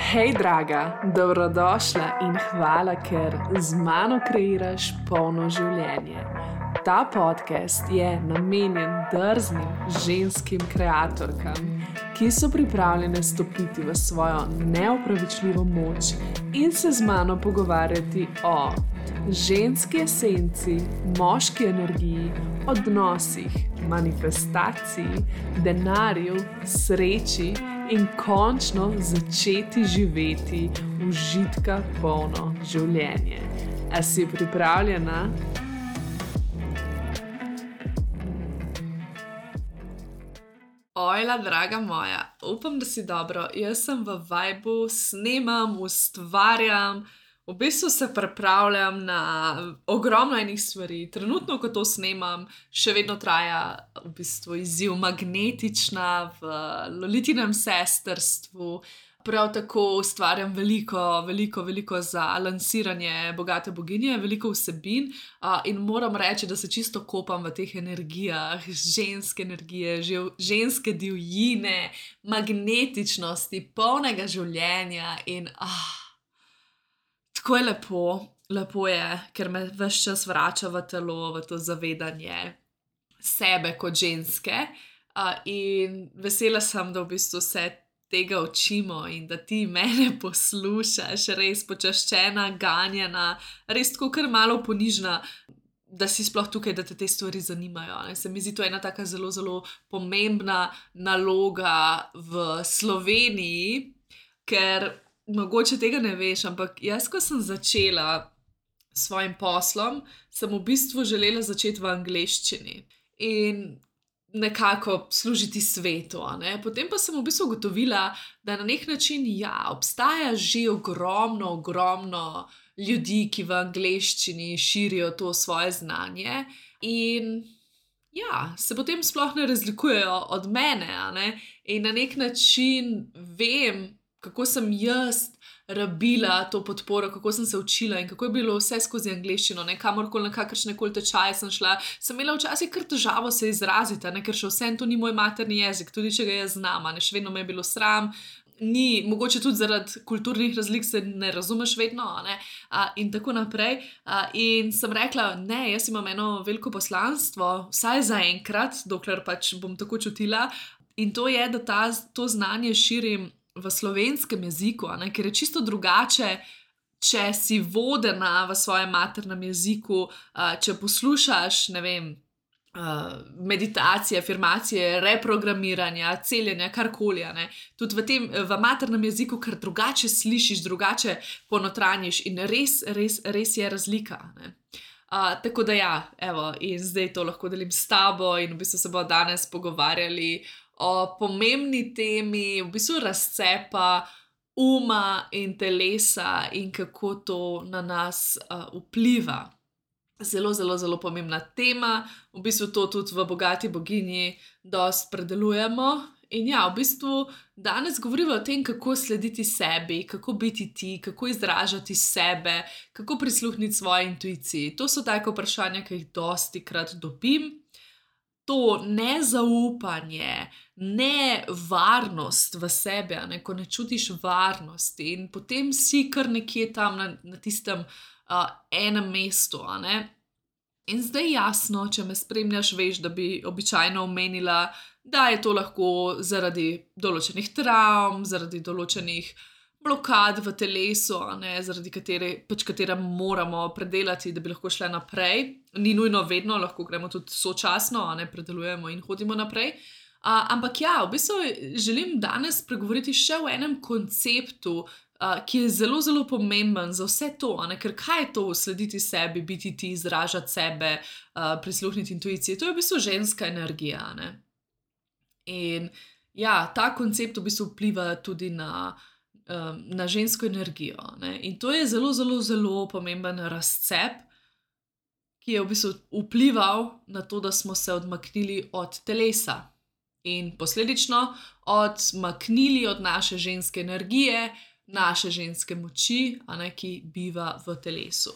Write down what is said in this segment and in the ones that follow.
Hej, draga, dobrodošla in hvala, ker z mano kreiraš polno življenje. Ta podcast je namenjen drznim ženskim kreatorkam, ki so pripravljene stopiti v svojo neopravičljivo moč in se z mano pogovarjati o ženski esenci, moški energiji, odnosih, manifestaciji, denarju, sreči in končno začeti živeti užitka polno življenje. A si pripravljena? Ojla, draga moja, upam, da si dobro. Jaz sem v vibu, snemam, ustvarjam, v bistvu se pripravljam na ogromno enih stvari. Trenutno, ko to snemam, še vedno traja v bistvu izziv Magnetična v Lolitinem sestrstvu. Prav tako ustvarjam veliko za lansiranje Bogate boginje, veliko vsebin in moram reči, da se čisto kopam v teh energijah, ženske energije, ženske divjine, magnetičnosti, polnega življenja in tako je lepo je, ker me ves čas vrača v telo, v to zavedanje sebe kot ženske in vesela sem, da v bistvu se tega učimo in da ti mene poslušaš, res počaščena, ganjena, res tako kar malo ponižna, da si sploh tukaj, da te stvari zanimajo. Ne? Se mi zdi to ena taka zelo, zelo pomembna naloga v Sloveniji, ker mogoče tega ne veš, ampak jaz, ko sem začela s svojim poslom, sem v bistvu želela začeti v angleščini in nekako služiti svetu. Ne? Potem pa sem v bistvu ugotovila, da na nek način, obstaja že ogromno ljudi, ki v angleščini širijo to svoje znanje in se potem sploh ne razlikujejo od mene, ne? In na nek način vem, kako sem jaz rabila to podporo, kako sem se učila in kako je bilo vse skozi angleščino, ne, kamorkoli na kakršnekoli tečaje sem šla, sem imela včasih kar težavo se izraziti, ne, ker še vseeno to ni moj materni jezik, tudi če ga jaz znam, ne, še vedno me je bilo sram, mogoče tudi zaradi kulturnih razlik se ne razumeš vedno, ne, in tako naprej. In sem rekla, ne, jaz imam eno veliko poslanstvo, vsaj zaenkrat, dokler pač bom tako čutila, in to je, da to znanje širim v slovenskem jeziku, ne, ker je čisto drugače, če si vodena v svojem maternem jeziku, če poslušaš, ne vem, meditacije, afirmacije, reprogramiranja, celjenja, karkoli, ne. Tudi v maternem jeziku, ker drugače slišiš, drugače ponotranjiš in res je razlika, ne. Tako da evo, in zdaj to lahko delim s tabo in v bistvu se bomo danes pogovarjali o pomembni temi, v bistvu razcepa uma in telesa in kako to na nas vpliva. Zelo, zelo, zelo pomembna tema, v bistvu to tudi v Bogati boginji dosti predelujemo. In v bistvu danes govorimo o tem, kako slediti sebi, kako biti ti, kako izražati sebe, kako prisluhniti svoji intuiciji. To so take vprašanja, ki jih dostikrat dobim. To nezaupanje, nevarnost v sebe, ne, ko ne čutiš varnosti in potem si kar nekje tam na tistem enem mestu. Ne. In zdaj jasno, če me spremljaš, veš, da bi običajno omenila, da je to lahko zaradi določenih travm, zaradi določenih blokad v telesu, ne, zaradi katere moramo predelati, da bi lahko šle naprej. Ni nujno vedno, lahko gremo tudi sočasno, ne, predelujemo in hodimo naprej. Ampak v bistvu želim danes pregovoriti še o enem konceptu, ki je zelo, zelo pomemben za vse to, ne, ker kaj je to slediti sebi, biti ti, izražati sebe, prisluhniti intuiciji, to je v bistvu ženska energija, ne. In ta koncept v bistvu vpliva tudi na žensko energijo, ne. In to je zelo, zelo, zelo pomemben razcep, ki je v bistvu vplival na to, da smo se odmaknili od telesa in posledično odmaknili od naše ženske energije, naše ženske moči, ki biva v telesu.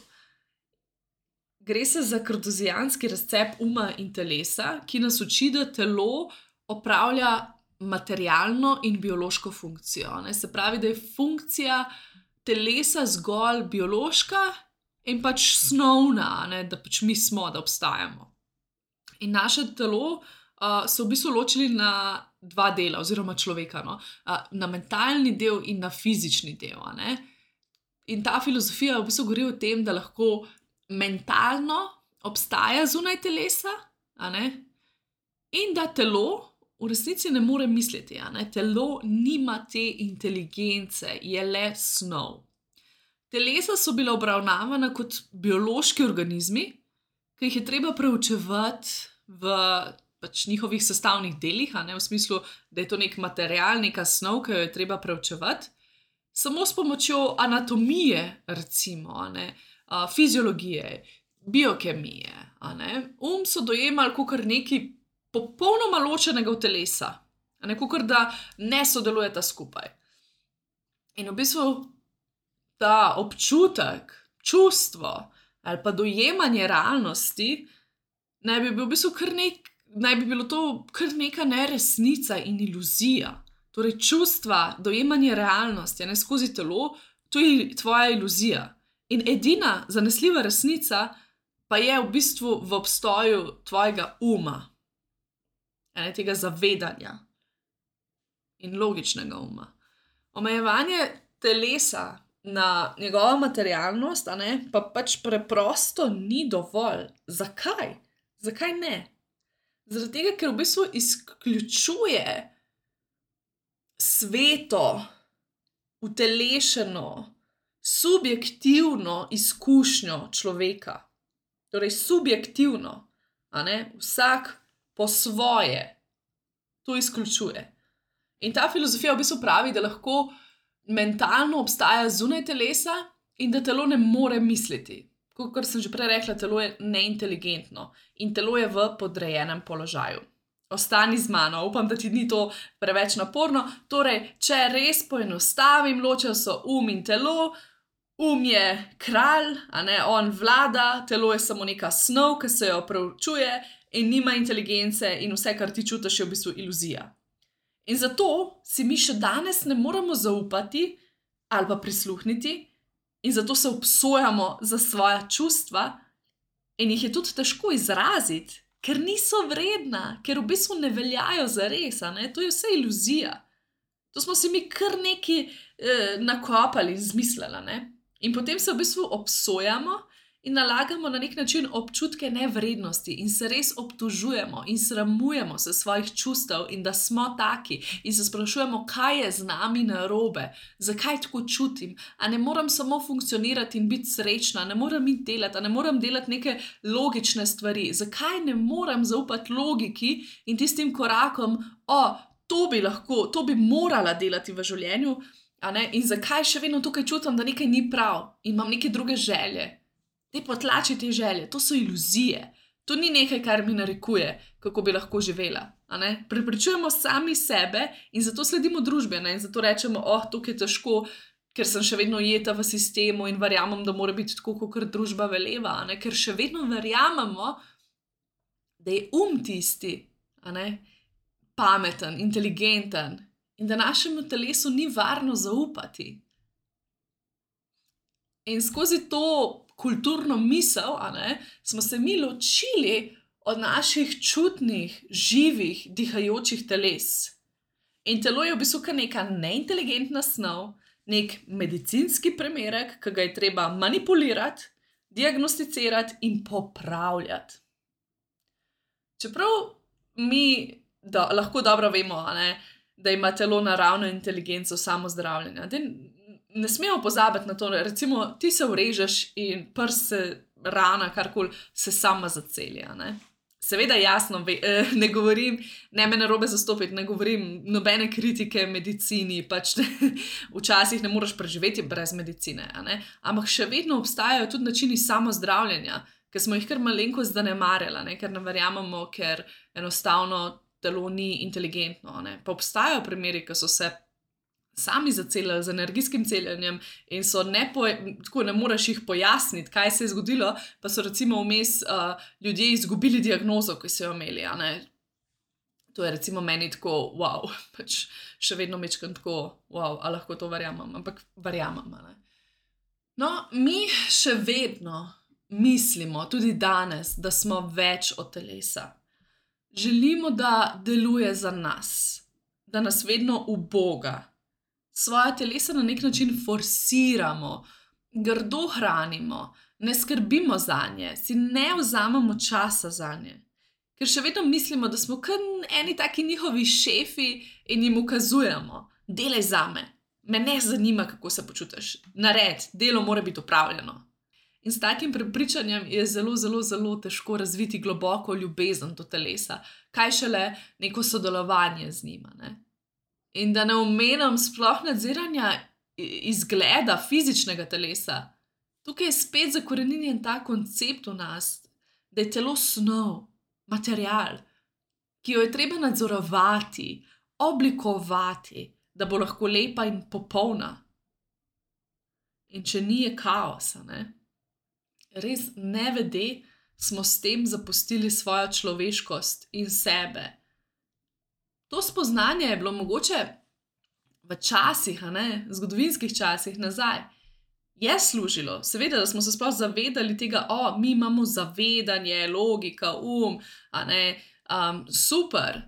Gre se za kartesijanski razcep uma in telesa, ki nas uči, da telo opravlja materialno in biološko funkcijo. Ne? Se pravi, da je funkcija telesa zgolj biološka in pač snovna, ne? Da pač mi smo, da obstajamo. In naše telo so v bistvu ločili na dva dela, oziroma človeka, no? Na mentalni del in na fizični del. Ne? In ta filozofija v bistvu govori o tem, da lahko mentalno obstaja zunaj telesa, in da telo v resnici ne more misliti. Telo nima te inteligence, je le snov. Telesa so bila obravnavana kot biološki organizmi, ki jih je treba preučevati v pač njihovih sestavnih delih, v smislu, da je to nek material, neka snov, ki jo je treba preučevati, samo s pomočjo anatomije, recimo, fiziologije, biokemije. So dojemali kot nekaj popolnoma ločenega od telesa, kot da ne sodelujeta skupaj. In v bistvu ta občutek, čustvo ali pa dojemanje realnosti naj bi bilo to kar neka neresnica in iluzija. Torej, čustva, dojemanje realnosti skozi telo, to je tvoja iluzija. In edina zanesljiva resnica pa je v bistvu v obstoju tvojega uma, tega zavedanja in logičnega uma. Omejevanje telesa na njegovo materialnost pa pač preprosto ni dovolj. Zakaj? Zakaj ne? Zaradi tega, ker v bistvu izključuje sveto, utelešeno, subjektivno izkušnjo človeka. Torej, subjektivno, vsak po svoje to izključuje. In ta filozofija v bistvu pravi, da lahko mentalno obstaja zunaj telesa in da telo ne more misliti. Kot sem že prej rekla, telo je neinteligentno in telo je v podrejenem položaju. Ostani z mano, upam, da ti ni to preveč naporno. Torej, če res poenostavim, ločijo so in telo. Je kralj, on vlada, telo je samo neka snov, ki se jo preučuje in nima inteligence in vse, kar ti čutiš, je v bistvu iluzija. In zato si mi še danes ne moremo zaupati ali pa prisluhniti in zato se obsojamo za svoja čustva in jih je tudi težko izraziti, ker niso vredna, ker v bistvu ne veljajo za res, to je vse iluzija. To smo si mi kar nekaj nakopali in zmislili, In potem se v bistvu obsojamo in nalagamo na nek način občutke nevrednosti in se res obtožujemo in sramujemo se svojih čustev in da smo taki in se sprašujemo, kaj je z nami narobe, zakaj tako čutim, a ne moram samo funkcionirati in biti srečna, ne moram iti delati, a ne moram delati neke logične stvari, zakaj ne moram zaupati logiki in tistim korakom, to bi morala delati v življenju, in zakaj še vedno tukaj čutim, da nekaj ni prav in imam neke druge želje. Te potlači te želje, to so iluzije. To ni nekaj, kar mi narekuje, kako bi lahko živela. Prepričujemo sami sebe in zato sledimo družbi. In zato rečemo, tukaj je težko, ker sem še vedno ujeta v sistemu in verjamem, da mora biti tako, kot družba veleva. Ker še vedno verjamemo, da je tisti, pameten, inteligenten in da našemu telesu ni varno zaupati. In skozi to kulturno misel, smo se mi ločili od naših čutnih, živih, dihajočih teles. In telo je v bistvu kar neka neinteligentna snov, nek medicinski primerek, ki ga je treba manipulirati, diagnosticirati in popravljati. Čeprav mi lahko dobro vemo, da ima telo naravno inteligenco samozdravljenja. Ne smemo pozabiti na to, recimo ti se urežeš in prst se, rana, karkoli se sama zaceli. Seveda jasno, ne govorim, ne me narobe zastopiti, ne govorim nobene kritike medicini, pač včasih ne moreš preživeti brez medicine, ampak še vedno obstajajo tudi načini samozdravljenja, ki smo jih kar malenkost zanemarjali, ker ne verjamemo, ker enostavno telo ni inteligentno. Pa obstajajo primeri, ki so se sami zacelili z energijskim celjenjem in so tako ne moreš jih pojasniti, kaj se je zgodilo, pa so recimo vmes ljudje izgubili diagnozo, ki so jo imeli. To je recimo meni tako, wow, pač še vedno mečkam tako, wow, a lahko to verjamem, ampak verjamem. Ne? No, mi še vedno mislimo, tudi danes, da smo več od telesa. Želimo, da deluje za nas, da nas vedno uboga. Svoja telesa na nek način forsiramo, grdo hranimo, ne skrbimo za nje, si ne vzamemo časa za nje. Ker še vedno mislimo, da smo kot eni taki njihovi šefi in jim ukazujemo, delaj zame, me ne zanima, kako se počutiš, nared, delo mora biti opravljeno. In s takim prepričanjem je zelo, zelo, zelo težko razviti globoko ljubezen do telesa, kaj šele neko sodelovanje z njima. Ne? In da ne omenjam sploh nadziranja izgleda fizičnega telesa. Tukaj je spet zakoreninjen ta koncept v nas, da je telo snov, material, ki jo je treba nadzorovati, oblikovati, da bo lahko lepa in popolna. In če ni, je kaosa, ne? Res nevede smo s tem zapustili svojo človeškost in sebe. To spoznanje je bilo mogoče v časih, zgodovinskih časih nazaj, je služilo. Seveda, da smo se sploh zavedali tega, mi imamo zavedanje, logika, super.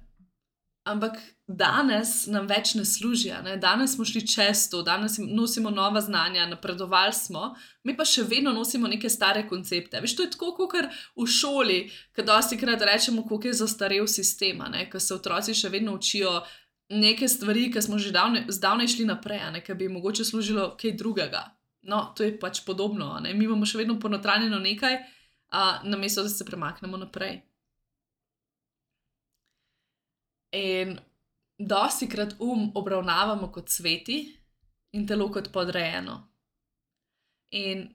Ampak danes nam več ne služi. Danes smo šli čez to, danes nosimo nova znanja, napredovali smo, mi pa še vedno nosimo neke stare koncepte. Veš, to je tako, kot v šoli, ko dostikrat rečemo, koliko je zastarel sistem, ko se otroci še vedno učijo neke stvari, ki smo že zdavnaj šli naprej, ki bi mogoče služilo kaj drugega. No, to je pač podobno. Mi imamo še vedno ponotranjeno nekaj, namesto da se premaknemo naprej. In dostikrat obravnavamo kot sveti in telo kot podrejeno. In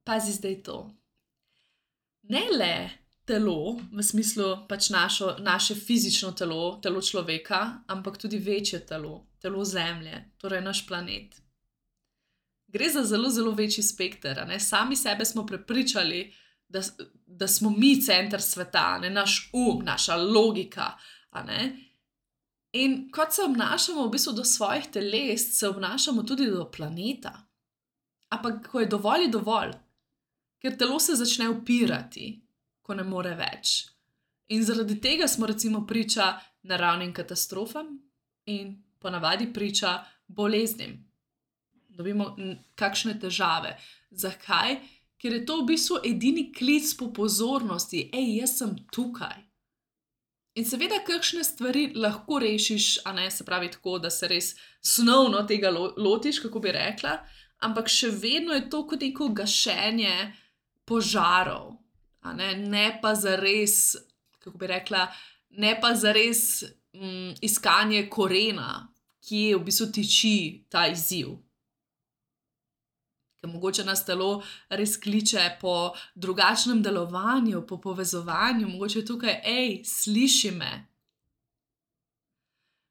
pazi zdaj to. Ne le telo, v smislu pač naše fizično telo, telo človeka, ampak tudi večje telo, telo Zemlje, torej naš planet. Gre za zelo, zelo večji spekter. Sami sebe smo prepričali, da smo mi center sveta, naš naša logika. In kot se obnašamo v bistvu do svojih teles, se obnašamo tudi do planeta. Ampak ko je dovolj, ker telo se začne upirati, ko ne more več. In zaradi tega smo recimo priča naravnim katastrofam in ponavadi priča boleznim. Dobimo kakšne težave. Zakaj? Ker je to v bistvu edini klic po pozornosti. Jaz sem tukaj. In seveda, kakšne stvari lahko rešiš, se pravi tako, da se res snovno tega lotiš, kako bi rekla, ampak še vedno je to kot neko gašenje požarov. Ne pa zares, kako bi rekla, ne pa zares iskanje korena, kje v bistvu tiči ta izziv. Ker mogoče nas telo res kliče po drugačnem delovanju, po povezovanju, mogoče tukaj, sliši me.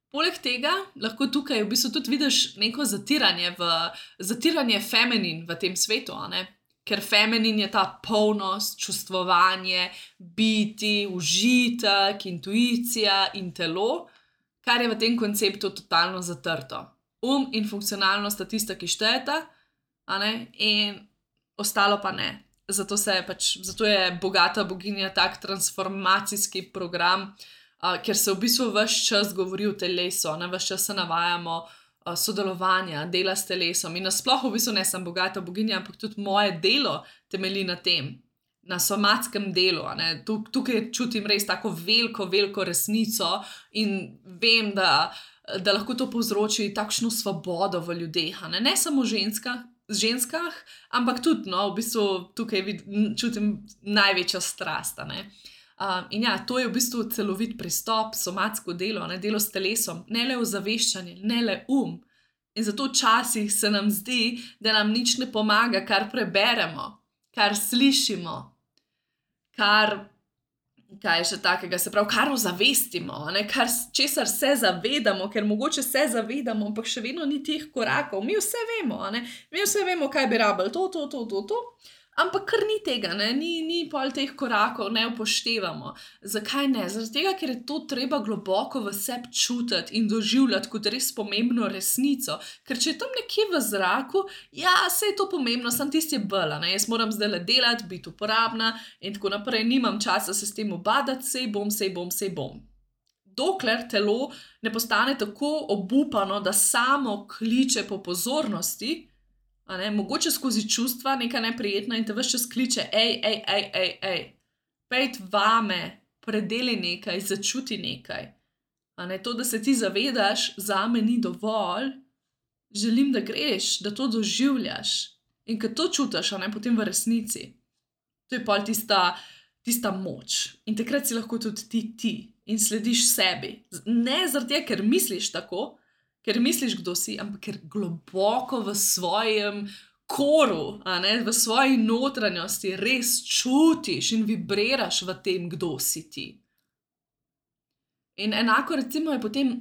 Poleg tega lahko tukaj v bistvu tudi vidiš neko zatiranje feminin v tem svetu, ker feminin je ta polnost, čustvovanje, biti, užitek, intuicija in telo, kar je v tem konceptu totalno zatrto. In funkcionalnost sta tista, ki štejeta, in ostalo pa ne. Zato je Bogata boginja tak transformacijski program, ker se v bistvu ves čas govori o telesu, ves čas se navajamo sodelovanja, dela s telesom in nasploh v bistvu ne sem Bogata boginja, ampak tudi moje delo temelji na tem, na somatskem delu. Tukaj čutim res tako veliko resnico in vem, da lahko to povzroči takšno svobodo v ljudeh, ne samo ženskah, ampak tudi, v bistvu tukaj čutim največjo strast. In to je v bistvu celovit pristop, somatsko delo, delo s telesom, ne le ozaveščanje, ne le In zato včasih se nam zdi, da nam nič ne pomaga, kar preberemo, kar slišimo, kaj je še takega, se pravi, kar ozavestimo, česar se zavedamo, ker mogoče se zavedamo, ampak še vedno ni teh korakov. Mi vse vemo, mi vse vemo, kaj bi rabili, to, Ampak kar ni tega, ne? Ni pol teh korakov, ne upoštevamo. Zakaj ne? Zaradi tega, ker je to treba globoko v sebi čutiti in doživljati kot res pomembno resnico. Ker če je tam nekje v zraku, ja, saj je to pomembno, sem tisti bela, ne? Jaz moram zdaj delati, biti uporabna in tako naprej, nimam časa se s tem ubadati, sej bom. Dokler telo ne postane tako obupano, da samo kliče po pozornosti, mogoče skozi čustva, neka neprijetna in te ves čas kliče, ej, pejt vame, predeli nekaj, začuti nekaj. To, da se ti zavedaš, zame ni dovolj, želim, da greš, da to doživljaš. In ko to čutiš, potem v resnici, to je pol tista moč. In takrat si lahko tudi ti in slediš sebi. Ne zaradi tega, ker misliš tako, ker misliš, kdo si, ampak ker globoko v svojem koru, v svoji notranjosti res čutiš in vibriraš v tem, kdo si ti. In enako recimo je potem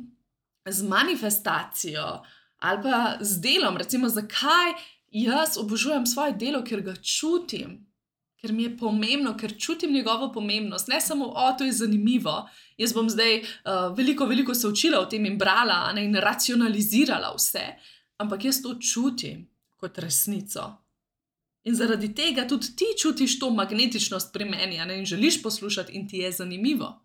z manifestacijo ali pa z delom, recimo zakaj jaz obožujem svoje delo, ker ga čutim, ker mi je pomembno, ker čutim njegovo pomembnost, ne samo, to je zanimivo, jaz bom zdaj veliko se učila o tem in brala in racionalizirala vse, ampak jaz to čutim kot resnico. In zaradi tega tudi ti čutiš to magnetičnost pri meni in želiš poslušati in ti je zanimivo.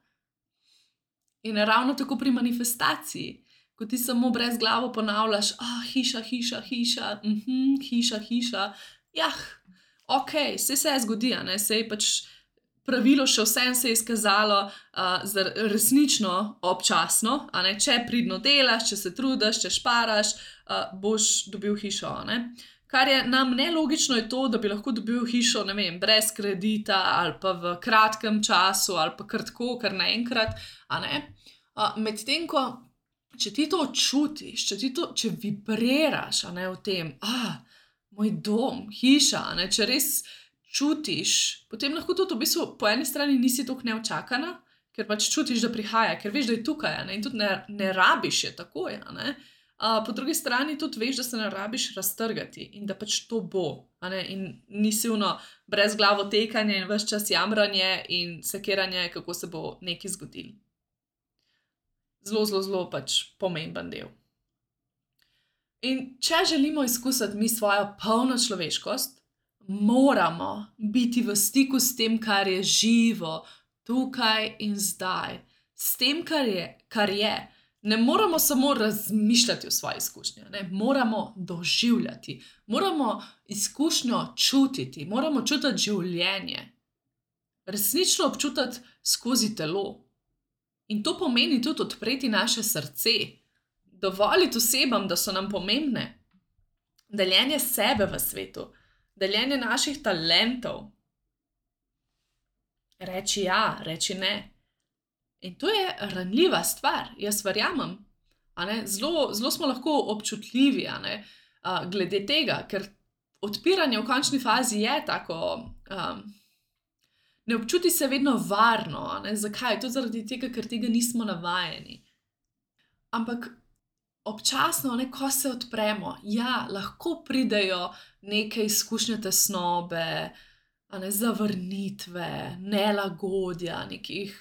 In ravno tako pri manifestaciji, ko ti samo brezglavo ponavljaš, hiša, okej, saj se zgodi, saj pač pravilo še vsem se je izkazalo resnično občasno, če pridno delaš, če se trudiš, če šparaš, boš dobil hišo, Kar je nam nelogično je to, da bi lahko dobil hišo, ne vem, brez kredita ali pa v kratkem času ali pa kar tako, kar naenkrat, Medtem ko, če ti to čutiš, če vibriraš, v tem, moj dom, hiša, če res čutiš, potem lahko tudi v bistvu po eni strani nisi toliko neučakana, ker pač čutiš, da prihaja, ker veš, da je tukaj, in tudi ne rabiš je takoj, Po drugi strani tudi veš, da se ne rabiš raztrgati in da pač to bo, in nisi brezglavo tekanje in ves čas jamranje in sekiranje, kako se bo nekaj zgodilo. Zelo pač pomemben del. In če želimo izkusiti mi svojo polno človeškost, moramo biti v stiku s tem, kar je živo, tukaj in zdaj. S tem, kar je. Ne moramo samo razmišljati o svoji izkušnji, moramo doživljati, moramo izkušnjo čutiti, moramo čutiti življenje. Resnično občutiti skozi telo. In to pomeni tudi odpreti naše srce, dovoliti osebam, da so nam pomembne, deljenje sebe v svetu, deljenje naših talentov. Reči ja, reči ne. In to je ranljiva stvar, jaz verjamem. Zelo smo lahko občutljivi, glede tega, ker odpiranje v končni fazi je tako, ne občuti se vedno varno, Zakaj? Tudi zaradi tega, ker tega nismo navajeni. Ampak občasno, ko se odpremo, lahko pridejo neke izkušnje tesnobe, zavrnitve, nelagodja, nekih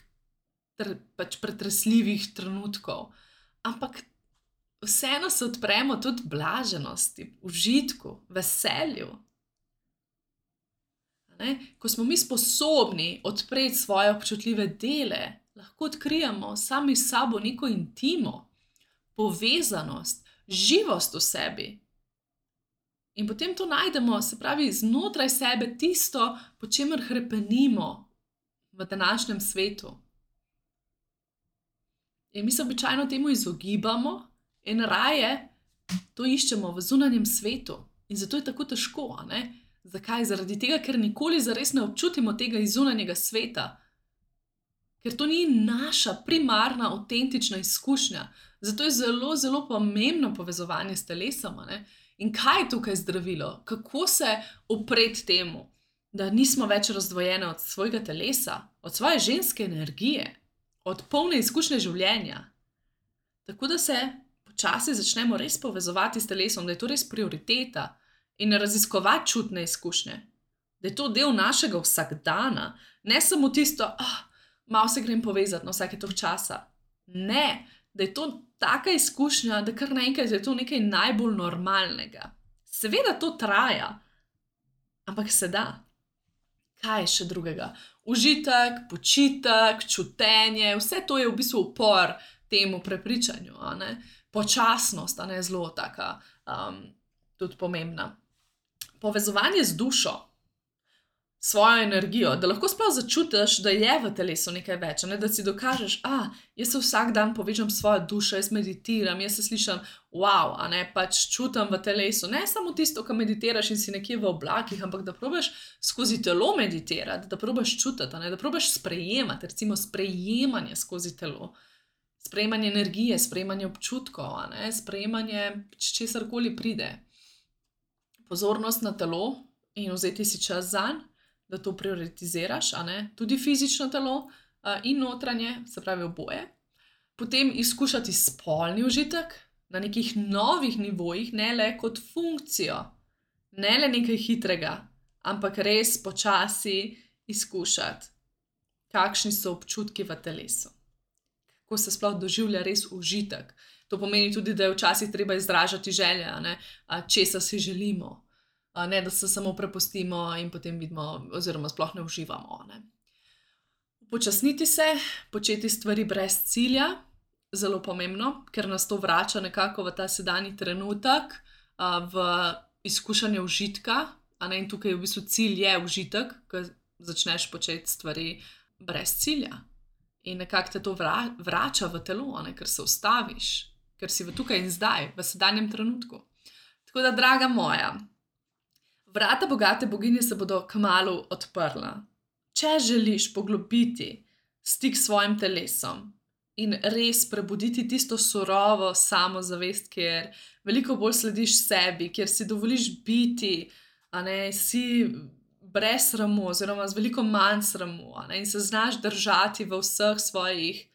pač pretresljivih trenutkov. Ampak vseeno se odpremo tudi blaženosti, užitku, veselju. Ko smo mi sposobni odpreti svoje občutljive dele, lahko odkrijemo sami s sabo neko intimo, povezanost, živost v sebi. In potem to najdemo, se pravi, znotraj sebe tisto, po čemer hrepenimo v današnjem svetu. In mi se običajno temu izogibamo in raje to iščemo v zunanjem svetu. In zato je tako težko, Zakaj? Zaradi tega, ker nikoli zares ne občutimo tega iz zunanjega sveta. Ker to ni naša primarna, avtentična izkušnja. Zato je zelo pomembno povezovanje s telesom, In kaj je tukaj zdravilo? Kako se upreti temu, da nismo več razdvojene od svojega telesa, od svoje ženske energije, od polne izkušnje življenja. Tako da se počasi začnemo res povezovati s telesom, da je to res prioriteta in raziskovati čutne izkušnje. da je to del našega vsakdana, ne samo tisto, malo se grem povezati na vsake toliko časa. Ne, da je to taka izkušnja, da kar naenkrat je to nekaj najbolj normalnega. Seveda to traja, ampak se da. Kaj je še drugega? Užitek, počitek, čutenje, vse to je v bistvu upor temu prepričanju. Počasnost, zelo taka, tudi pomembna. Povezovanje z dušo, svojo energijo, da lahko sploh začutiš, da je v telesu nekaj več, da si dokažeš, jaz se vsak dan povežem s svojo dušo, jaz meditiram, jaz se slišim, wow, pač čutim v telesu, ne samo tisto, ko meditiraš in si nekje v oblakih, ampak da probaš skozi telo meditirati, da probaš čutiti, da probaš sprejemati, recimo sprejemanje skozi telo, sprejemanje energije, sprejemanje občutkov, sprejemanje česarkoli pride. Pozornost na telo in vzeti si čas zanj, da to prioritiziraš, tudi fizično telo in notranje, se pravi oboje. Potem izkušati spolni užitek na nekih novih nivojih, ne le kot funkcijo, ne le nekaj hitrega, ampak res počasi izkušati, kakšni so občutki v telesu. Kako se sploh doživlja res užitek. To pomeni tudi, da je včasih treba izražati želje, česa si želimo. Ne, da se samo prepustimo in potem vidimo, oziroma sploh ne uživamo. Upočasniti se, početi stvari brez cilja, zelo pomembno, ker nas to vrača nekako v ta sedanji trenutek, v izkušanje užitka, in tukaj v bistvu cilj je užitek, ko začneš početi stvari brez cilja. In nekako te to vrača v telo, ker se ustaviš, ker si v tukaj in zdaj, v sedanjem trenutku. Tako da, draga moja, vrata bogate boginje se bodo kmalu odprla. Če želiš poglobiti stik s svojim telesom in res prebuditi tisto surovo samozavest, kjer veliko bolj slediš sebi, kjer si dovoliš biti, si brez sramu oziroma z veliko manj sramu, in se znaš držati v vseh svojih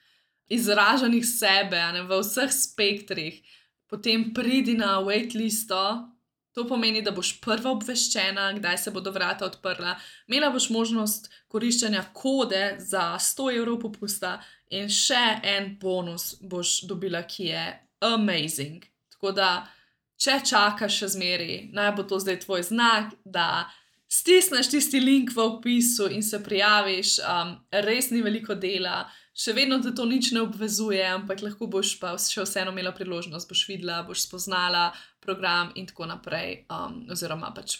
izražanjih sebe, v vseh spektrih, potem pridi na waitlisto. To pomeni, da boš prva obveščena, kdaj se bodo vrata odprla. Imela boš možnost koriščenja kode za 100 € popusta in še en bonus boš dobila, ki je amazing. Tako da, če čakaš še zmeri, naj bo to zdaj tvoj znak, da stisneš tisti link v opisu in se prijaviš. Res ni veliko dela, še vedno te to nič ne obvezuje, ampak lahko boš pa še vseeno imela priložnost, boš videla, boš spoznala program in tako naprej, oziroma pač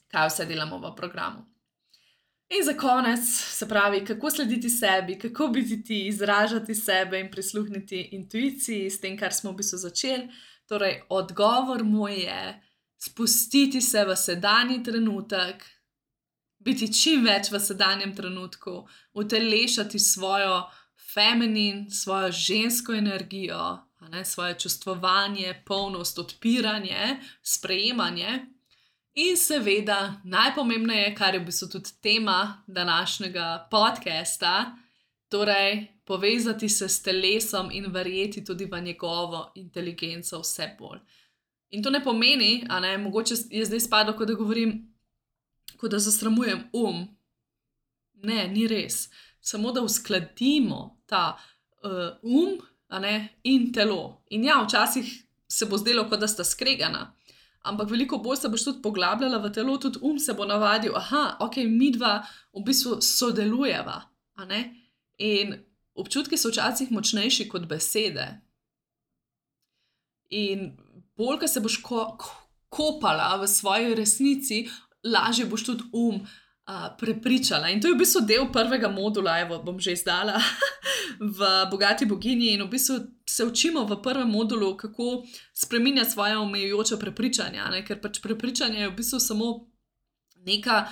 kaj vse delamo v programu. In za konec, se pravi, kako slediti sebi, kako biti ti, izražati sebe in prisluhniti intuiciji s tem, kar smo v bistvu začeli. Torej, odgovor moj je spustiti se v sedanji trenutek, biti čim več v sedanjem trenutku, utelešati svojo feminin, svojo žensko energijo, svoje čustvovanje, polnost, odpiranje, sprejemanje in seveda najpomembneje, kar je v bistvu tudi tema današnjega podcasta, torej povezati se s telesom in verjeti tudi v njegovo inteligenco vse bolj. In to ne pomeni, mogoče je zdaj spadlo, kot da govorim, kot da zasramujem Ne, ni res. Samo da uskladimo ta in telo. In ja, včasih se bo zdelo, kot da sta skregana, ampak veliko bolj se boš tudi poglabljala v telo, tudi se bo navadil, midva v bistvu sodelujeva. In občutki so včasih močnejši kot besede. In bolj, ko se boš kopala v svoji resnici, lažje boš tudi prepričala. In to je v bistvu del prvega modula, bom že izdala, v Bogati boginji. In v bistvu se učimo v prvem modulu, kako spreminjati svoje omejujoče prepričanja, ker pač prepričanje je v bistvu samo neka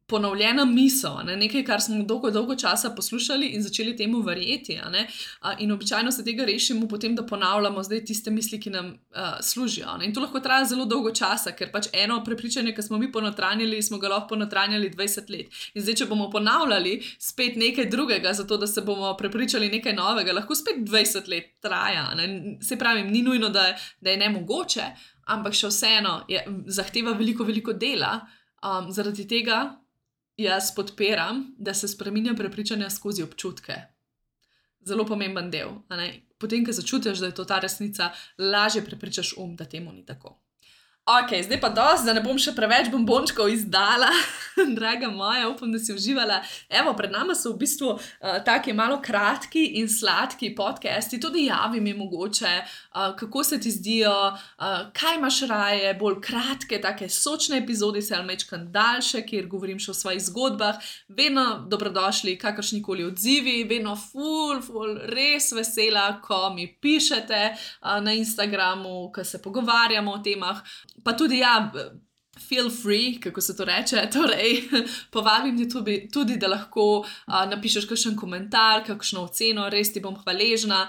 ponovljena misel, nekaj, kar smo dolgo časa poslušali in začeli temu verjeti. In običajno se tega rešimo potem, da ponavljamo zdaj tiste misli, ki nam služijo. In to lahko traja zelo dolgo časa, ker pač eno prepričanje, ki smo mi ponotranjali, smo ga lahko ponotranjali 20 let. In zdaj, če bomo ponavljali spet nekaj drugega, zato da se bomo prepričali nekaj novega, lahko spet 20 let traja. Se pravi, ni nujno, da je nemogoče, ampak še vseeno zahteva veliko dela, Zaradi tega jaz podpiram, da se spreminja prepričanja skozi občutke. Zelo pomemben del. Potem, ko začutiš, da je to ta resnica, lažje prepričaš da temu ni tako. Ok, zdaj pa dosti, da ne bom še preveč bombončkov izdala, draga moja, upam, da si uživala. Evo, pred nama so v bistvu taki malo kratki in sladki podcasti, tudi javi mi mogoče, kako se ti zdijo, kaj imaš raje, bolj kratke, take sočne epizode, se ali mečkan daljše, kjer govorim še o svojih zgodbah, vedno dobrodošli, kakršnikoli odzivi, vedno ful, res vesela, ko mi pišete na Instagramu, ko se pogovarjamo o temah. Pa tudi feel free, kako se to reče, torej povabim te tudi, da lahko napišeš kakšen komentar, kakšno oceno, res ti bom hvaležna,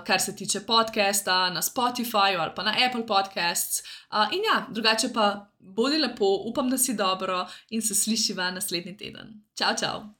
kar se tiče podcasta na Spotifyju ali pa na Apple Podcasts. In drugače pa bodi lepo, upam, da si dobro in se slišiva naslednji teden. Čau, čau!